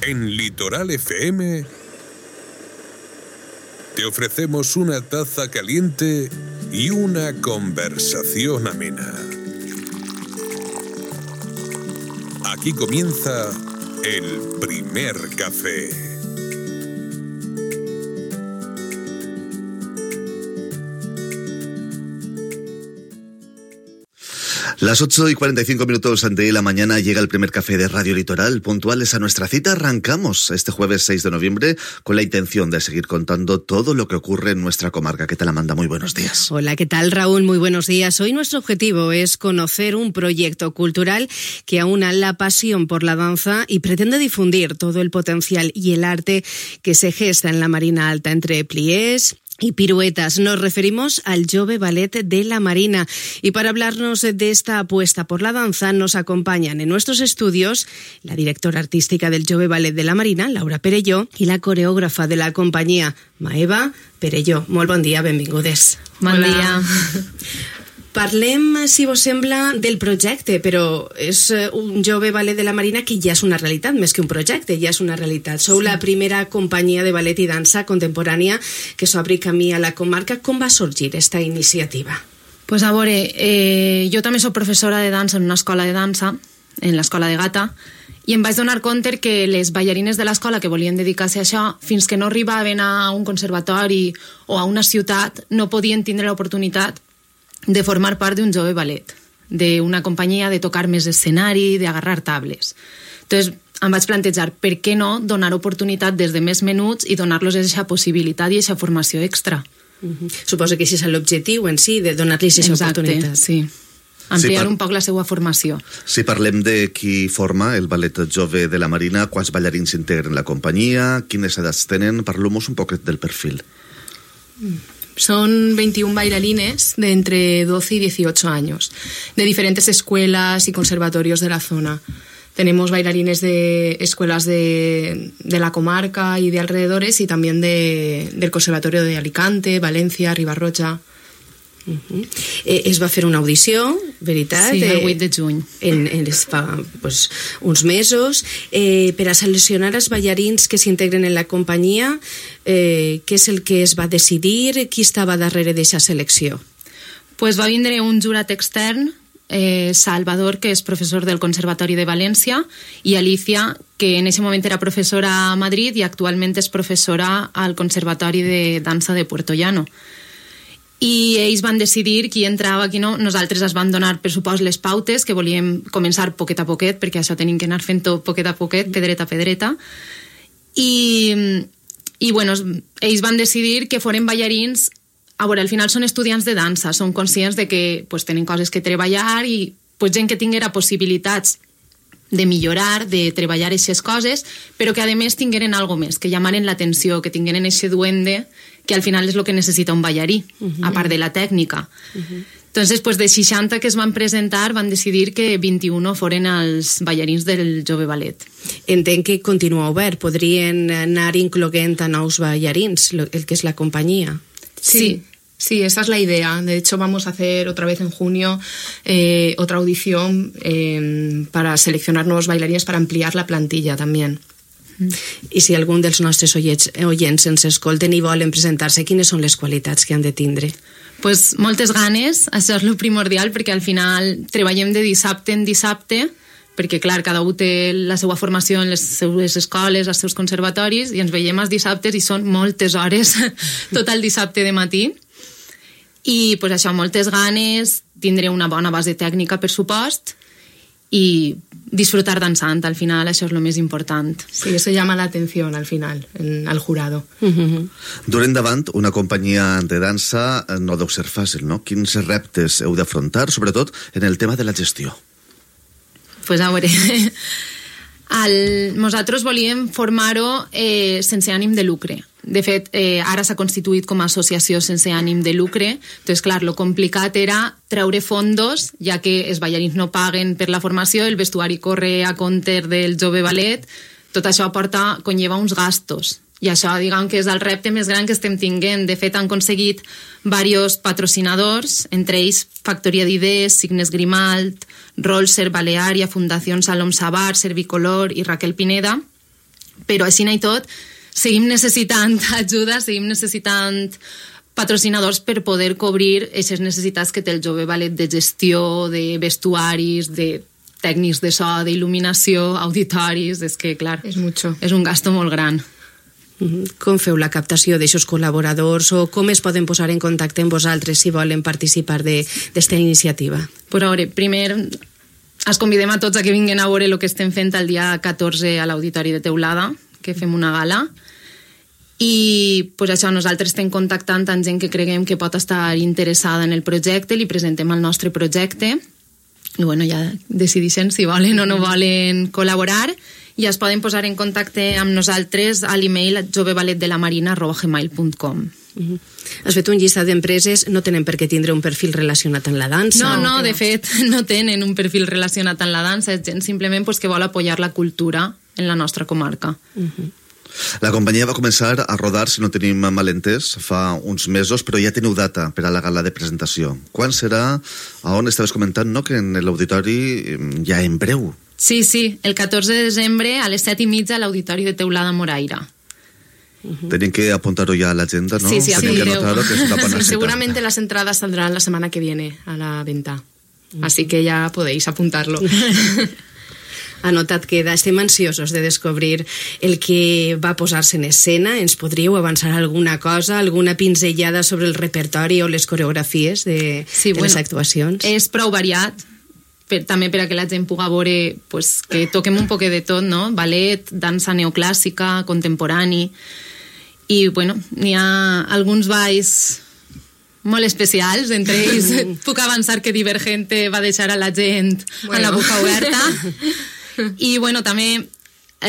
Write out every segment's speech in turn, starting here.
En Litoral FM te ofrecemos una taza caliente y una conversación amena. Aquí comienza el primer café. Las 8:45 de la mañana llega el primer café de Radio Litoral. Puntuales a nuestra cita, arrancamos este jueves 6 de noviembre con la intención de seguir contando todo lo que ocurre en nuestra comarca. ¿Qué tal, Amanda? Muy buenos días. Hola, ¿qué tal, Raúl? Muy buenos días. Hoy nuestro objetivo es conocer un proyecto cultural que aúna la pasión por la danza y pretende difundir todo el potencial y el arte que se gesta en la Marina Alta entre pliés y piruetas. Nos referimos al Jove Ballet de la Marina. Y para hablarnos de esta apuesta por la danza, nos acompañan en nuestros estudios la directora artística del Jove Ballet de la Marina, Laura Perelló, y la coreògrafa de la companyia, Maeva Perelló. Molt bon dia, benvingudes. Bon dia. Parlem, si vos sembla, del projecte, però és un Jove Ballet de la Marina que ja és una realitat, més que un projecte, ja és una realitat. Sou la primera companyia de ballet i dansa contemporània que s'obri camí a la comarca. Com va sorgir esta iniciativa? Pues a veure, jo també soc professora de dansa en una escola de dansa, en l'escola de Gata, i em vaig donar compte que les ballarines de l'escola que volien dedicar-se a això, fins que no arribaven a un conservatori o a una ciutat, no podien tindre l'oportunitat de formar part d'un Jove Ballet, d'una companyia, de tocar més escenari, d'agarrar tables. Entonces, em vaig plantejar per què no donar oportunitat des de més menuts i donar-los aquesta possibilitat i aquesta formació extra. Suposo que això és l'objectiu en si, de donar-los aquesta oportunitat. Sí. Ampliar un poc la seva formació. Si parlem de qui forma el Ballet Jove de la Marina, quants ballarins integren la companyia, quines edats tenen, parlem-nos un poquet del perfil. Son 21 bailarines de entre 12 y 18 años, de diferentes escuelas y conservatorios de la zona. Tenemos bailarines de escuelas de la comarca y de alrededores y también del Conservatorio de Alicante, Valencia, Ribarroja. Es va fer una audició, veritat? Sí, el 8 de juny. Fa uns mesos, per a seleccionar els ballarins que s'integren en la companyia. Què és el que es va decidir? Qui estava darrere d'aquesta selecció? Pues va vindre un jurat extern, Salvador, que és professor del Conservatori de València, i Alicia, que en aquest moment era professora a Madrid i actualment és professora al Conservatori de Dansa de Puerto Llano. I ells van decidir qui entrava, qui no. Nosaltres es van donar, per supost, les pautes, que volíem començar poquet a poquet, perquè això tenim que anar fent-ho poquet a poquet, pedreta a pedreta. I bueno, ells van decidir que foren ballarins. A veure, al final són estudiants de dansa, són conscients de que pues, tenen coses que treballar i pues, gent que tinguera possibilitats de millorar, de treballar aquestes coses, però que a més tingueren algo més, que llamaren l'atenció, que tingueren aquest duende, que al final és el que necessita un ballarí, a part de la tècnica. Entonces, pues, de 60 que es van presentar, van decidir que 21 foren els ballarins del Jove Ballet. Entenc que continua obert, podrien anar incloent a nous ballarins, el que és la companyia. Sí, esa es la idea. De hecho, vamos a hacer otra vez en junio otra audición para seleccionar nuevos bailarines para ampliar la plantilla también. I si algun dels nostres oients ens escolten i volen presentar-se, quines són les qualitats que han de tindre? Pues moltes ganes, això és el primordial, perquè al final treballem de dissabte en dissabte, perquè clar, cada un té la seva formació en les seues escoles, els seus conservatoris, i ens veiem els dissabtes i són moltes hores, tot el dissabte de matí. I pues això, moltes ganes, tindré una bona base tècnica, per supost, i disfrutar dansant, al final això és el més important. Sí, eso llama la atención al final, al jurado. Dur endavant una companyia de dansa no deu ser fàcil, no? Quins reptes heu d'afrontar, sobretot en el tema de la gestió? Pues a veure, nosaltres volíem formar-ho sense ànim de lucre. De fet, ara s'ha constituït com a associació sense ànim de lucre. Entonces, clar, lo complicat era treure fondos, ja que els ballarins no paguen per la formació, el vestuari corre a compte del Jove Ballet, tot això conlleva uns gastos. I això, diguem que és el repte més gran que estem tinguent. De fet, han aconseguit diversos patrocinadors, entre ells Factoria d'Idees, Signes Grimalt, Rolser, Baleària, Fundació Salom Sabar, Servicolor i Raquel Pineda, Però així i tot, seguim necessitant ajuda, seguim necessitant patrocinadors per poder cobrir aquestes necessitats que té el jove ballet de gestió, de vestuaris, de tècnics de so, d'il·luminació, auditoris, és que, clar, és un gasto molt gran. Com feu la captació d'aixòs col·laboradors o com es poden posar en contacte amb vosaltres si volen participar d'esta iniciativa? Per veure, primer els convidem a tots a que vinguin a veure el que estem fent el dia 14 a l'Auditori de Teulada, que fem una gala, i pues això, nosaltres estem contactant amb gent que creguem que pot estar interessada en el projecte, li presentem el nostre projecte i bueno, ja decideixen si volen o no volen col·laborar i es poden posar en contacte amb nosaltres a l'email joveballetdelamarina@gmail.com. Has fet un llistat d'empreses, no tenen per què tindre un perfil relacionat amb la dansa? No, de fet, no tenen un perfil relacionat amb la dansa, és gent simplement pues, que vol apoyar la cultura en la nostra comarca. La companyia va començar a rodar, si no tenim malentès, fa uns mesos, però ja teniu data per a la gala de presentació. Quan serà? A on estaves comentant, no?, que en l'auditori ja en breu. Sí, el 14 de desembre a les 7:30 a l'Auditori de Teulada Moraira. Tenim que apuntar-ho ja a l'agenda, ¿no? Sí, Tenim que anotar-ho, que es una bona cita. Seguramente las entradas saldrán la semana que viene a la venta. Así que ya podéis apuntarlo. Anotat queda. Estem ansiosos de descobrir el que va posar-se en escena. Ens podríeu avançar alguna cosa, alguna pinzellada sobre el repertori o les coreografies de les actuacions? És prou variat, també per a que la gent pugui veure pues, que toquem un poquet de tot, no? Ballet, dansa neoclàssica, contemporani, i bueno, n'hi ha alguns balls molt especials, entre ells puc avançar que Divergente va deixar a la gent amb la boca oberta. I bueno, també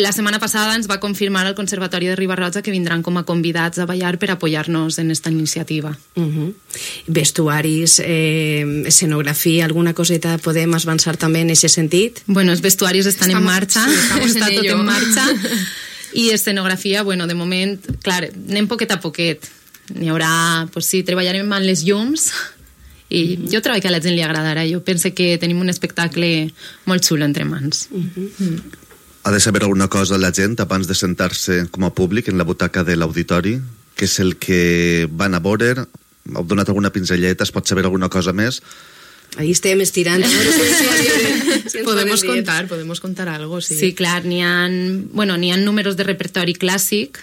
la setmana passada ens va confirmar el Conservatori de Riba-roja que vindran com a convidats a ballar per apoyar-nos en esta iniciativa. Vestuaris, escenografia, alguna coseta podem avançar també en aquest sentit? Bueno, els vestuaris estan en marxa, està tot en marxa. I escenografia, bueno, de moment, clar, anem poquet a poquet. N'hi haurà, pues sí, treballarem amb les llums i jo trobo que a la gent li agradarà. Jo penso que tenim un espectacle molt xulo entre mans. Ha de saber alguna cosa la gent abans de sentar-se com a públic en la butaca de l'auditori? Què és el que van a veure? Heu donat alguna pinzelleta? Es pot saber alguna cosa més? Ahí estem estirant. Podemos contar algo, sí. Sí, clar, n'hi ha números de repertori clàssic.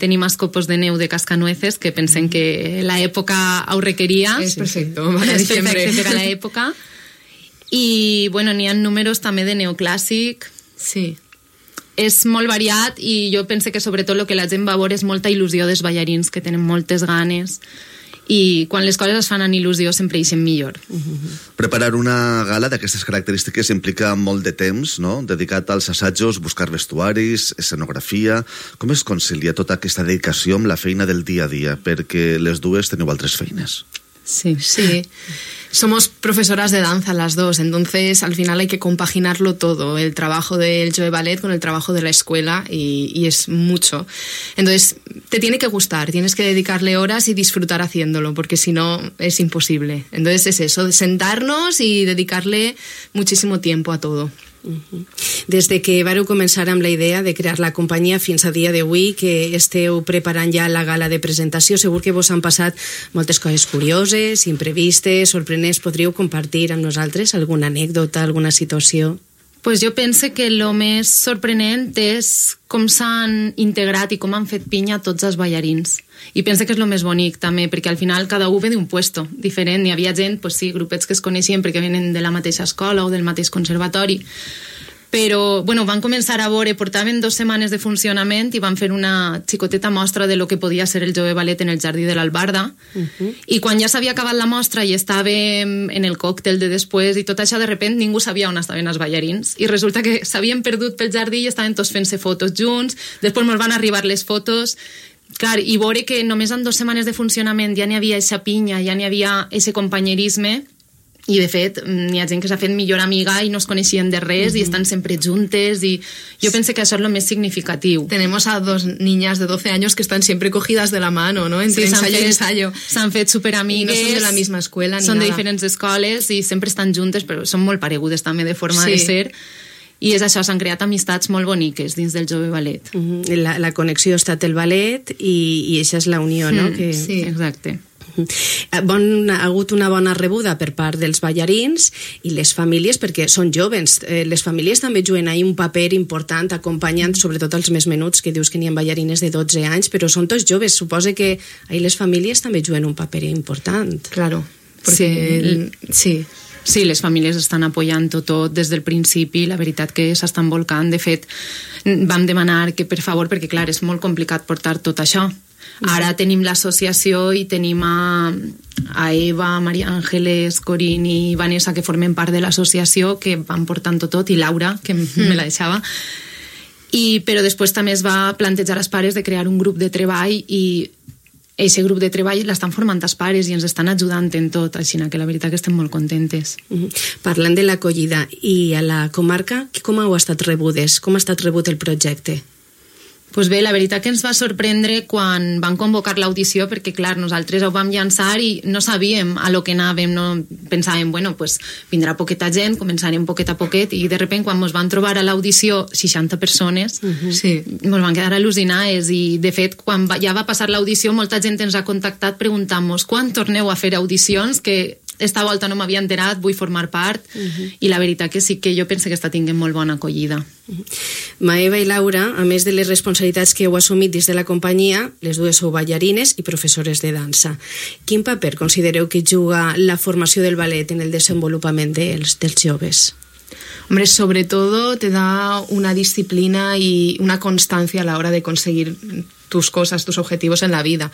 Tenim els copos de neu de Cascanueces, que pensem que l'època ho requeria. És perfecte, és perfecte per a l'època. I, bueno, n'hi ha números també de neoclàssic. Sí. És molt variat i jo penso que sobretot el que la gent va veure és molta il·lusió dels ballarins, que tenen moltes ganes. I quan les coses es fan en il·lusió sempre ixen millor. Preparar una gala d'aquestes característiques implica molt de temps, no?, dedicat als assajos, buscar vestuaris, escenografia. Com es concilia tota aquesta dedicació amb la feina del dia a dia? Perquè les dues teniu altres feines. Sí. Somos profesoras de danza las dos, entonces al final hay que compaginarlo todo, el trabajo del Jove Ballet con el trabajo de la escuela y es mucho. Entonces te tiene que gustar, tienes que dedicarle horas y disfrutar haciéndolo, porque si no es imposible. Entonces es eso, de sentarnos y dedicarle muchísimo tiempo a todo. Des de que vareu començar amb la idea de crear la companyia fins a dia d'avui, que esteu preparant ja la gala de presentació, segur que vos han passat moltes coses curioses, imprevistes, sorprenents. Podríeu compartir amb nosaltres alguna anècdota, alguna situació? Pues jo penso que el més sorprenent és com s'han integrat i com han fet pinya tots els ballarins. I penso que és el més bonic també, perquè al final cada un ve d'un puesto diferent. Hi havia gent, pues sí, grupets que es coneixien perquè venen de la mateixa escola o del mateix conservatori, però bueno, van començar a veure, portaven 2 setmanes de funcionament i van fer una xicoteta mostra de lo que podia ser el Jove Ballet en el Jardí de l'Albarda, i quan ja s'havia acabat la mostra i estàvem en el còctel de després i tot això, de repente ningú sabia on estaven els ballarins i resulta que s'havien perdut pel jardí i estaven tots fent-se fotos junts. Després ens van arribar les fotos. Clar, i veure que només en 2 setmanes de funcionament ja n'hi havia eixa pinya, ja n'hi havia eixe companyerisme, i de fet n'hi ha gent que s'ha fet millor amiga i no es coneixien de res i estan sempre juntes, i jo penso que això és lo més significatiu. Tenemos a 2 niñas de 12 años que están siempre cogidas de la mano, ¿no? Entre ensayo y ensayo. S'han fet superamigues. No son de la misma escuela ni són nada. de diferents escoles i sempre estan juntes, però són molt paregudes també de forma de ser. I és això, s'han creat amistats molt boniques dins del Jove Ballet. La connexió ha estat el ballet i això és la unió, no? Sí, exacte. Ha hagut una bona rebuda per part dels ballarins i les famílies, perquè són joves. Les famílies també juguen ahí un paper important, acompanyant sobretot els més menuts, que dius que n'hi ha ballarines de 12 anys, però són tots joves. Suposa que ahí les famílies també juguen un paper important. Claro, sí, les famílies estan apoyant tot des del principi, la veritat que s'estan volcant. De fet, vam demanar que per favor, perquè clar, és molt complicat portar tot això. Ara tenim l'associació i tenim a Eva, Maria Ángeles, Corín i Vanessa, que formen part de l'associació, que van portant tot, i Laura, que me la deixava. Però després també es va plantejar als pares de crear un grup de treball i aquest grup de treball l'estan formant els pares i ens estan ajudant en tot, així que la veritat que estem molt contentes. Parlant de l'acollida i a la comarca, com heu estat rebudes? Com ha estat rebut el projecte? Pues bé, la veritat que ens va sorprendre quan van convocar l'audició, perquè clar, nosaltres ho vam llançar i no sabíem a lo que anàvem, no pensàvem, bueno, pues vindrà poqueta gent, començarem poquet a poquet, i de repente quan ens van trobar a l'audició 60 persones, ens van quedar al·lucinades, i de fet quan ja va passar l'audició molta gent ens ha contactat preguntant-nos quan torneu a fer audicions, que esta volta no m'havia enterat, vull formar part, i la veritat que sí que jo penso que està tinguent molt bona acollida. Maeva i Laura, a més de les responsabilitats que heu assumit dins de la companyia, les dues sou ballarines i professores de dansa. Quin paper considereu que juga la formació del ballet en el desenvolupament dels joves? Hombre, sobre todo te da una disciplina y una constancia a la hora de conseguir tus cosas, tus objetivos en la vida.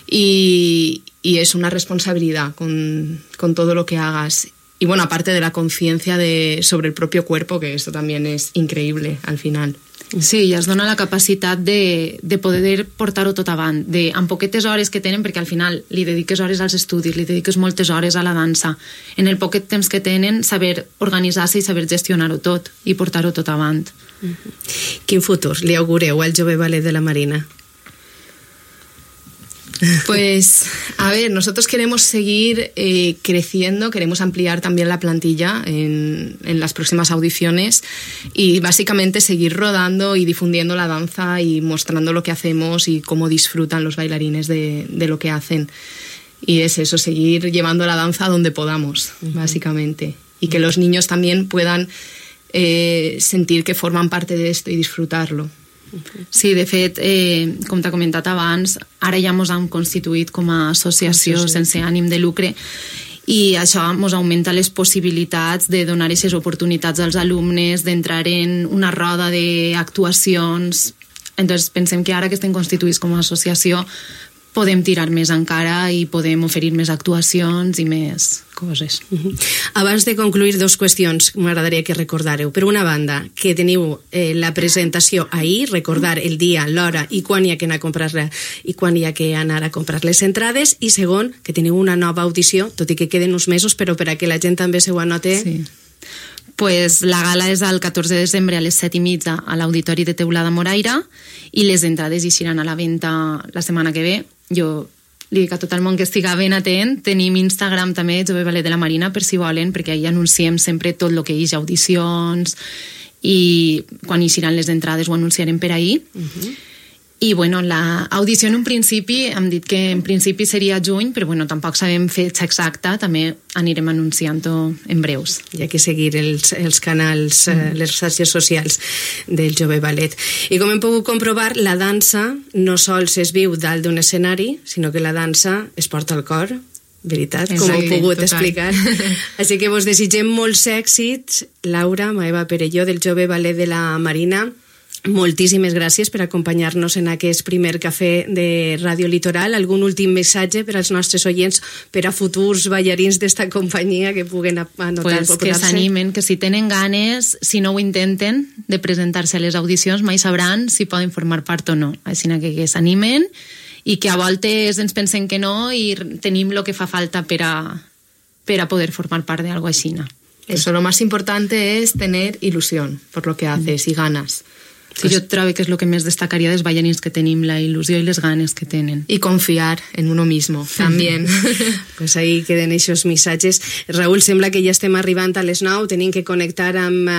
Y es una responsabilidad con todo lo que hagas. Y bueno, aparte de la conciencia sobre el propio cuerpo, que esto también es increíble al final. Sí, i es dona la capacitat de poder portar-ho tot avant, amb poquetes hores que tenen, perquè al final li dediques hores als estudis, li dediques moltes hores a la dansa. En el poquet temps que tenen, saber organitzar-se i saber gestionar-ho tot i portar-ho tot avant. Quin futur li augureu al Jove Ballet de la Marina? Pues, a ver, nosotros queremos seguir creciendo, queremos ampliar también la plantilla en las próximas audiciones y básicamente seguir rodando y difundiendo la danza y mostrando lo que hacemos y cómo disfrutan los bailarines de lo que hacen. Y es eso, seguir llevando la danza donde podamos, básicamente. Y que los niños también puedan sentir que forman parte de esto y disfrutarlo. Sí, de fet, com t'ha comentat abans, ara ja ens hem constituït com a associació sense ànim de lucre i això ens augmenta les possibilitats de donar aquestes oportunitats als alumnes, d'entrar en una roda d'actuacions. Entonces pensem que ara que estem constituïts com a associació podem tirar més encara i podem oferir més actuacions i més coses. Abans de concluir, dues qüestions m'agradaria que recordàreu. Per una banda, que teniu la presentació ahir, recordar el dia, l'hora i quan hi ha que anar a comprar-la i quan hi ha que anar a comprar les entrades, i segon, que teniu una nova audició, tot i que queden uns mesos, però per a que la gent també se ho anote. Sí. Pues la gala és el 14 de desembre a les 7:30 a l'Auditori de Teulada Moraira i les entrades hi seran a la venda la setmana que ve. Jo li dic a tot el món que estiga ben atent. Tenim Instagram també, Jove Ballet de la Marina, per si volen, perquè ahí anunciem sempre tot el que hi ha, audicions, i quan hi seran les entrades ho anunciarem per ahí. I bueno, l'audició en un principi hem dit que en principi seria juny, però bueno, tampoc sabem fetge exacta, també anirem anunciant-ho en breus. Hi ha que seguir els canals, les xarxes socials del Jove Ballet. I com hem pogut comprovar, la dansa no sols es viu dalt d'un escenari, sinó que la dansa es porta al cor, veritat, com heu pogut explicar. Així que vos desitgem molts èxits, Laura, Maeva Perelló, del Jove Ballet de la Marina. Moltíssimes gràcies per acompanyar-nos en aquest primer cafè de Ràdio Litoral. Algun últim missatge per als nostres oients, per a futurs ballarins d'esta companyia que puguen anotar? Pues que s'animen, que si tenen ganes, si no ho intenten, de presentar-se a les audicions, mai sabran si poden formar part o no. Així que s'animen i que a voltes ens pensen que no i tenim el que fa falta per a poder formar part d'algo així. Eso, lo más importante es tener ilusión por lo que haces y ganas. Sí, jo trobo que és el que més destacaria dels ballarins, que tenim la il·lusió i les ganes que tenen. Y confiar en uno mismo, también. Pues ahí queden aquests missatges. Raül, sembla que ja estem arribant a les 9, tenim que connectar amb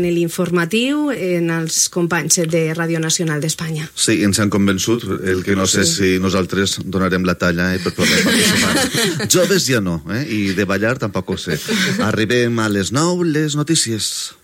l'informatiu, en els companys de Ràdio Nacional d'Espanya. Sí, ens han convençut, el que no sé si nosaltres donarem la talla per poder participar. Joves ja no, i de ballar tampoc ho sé. Arribem a les 9, les notícies.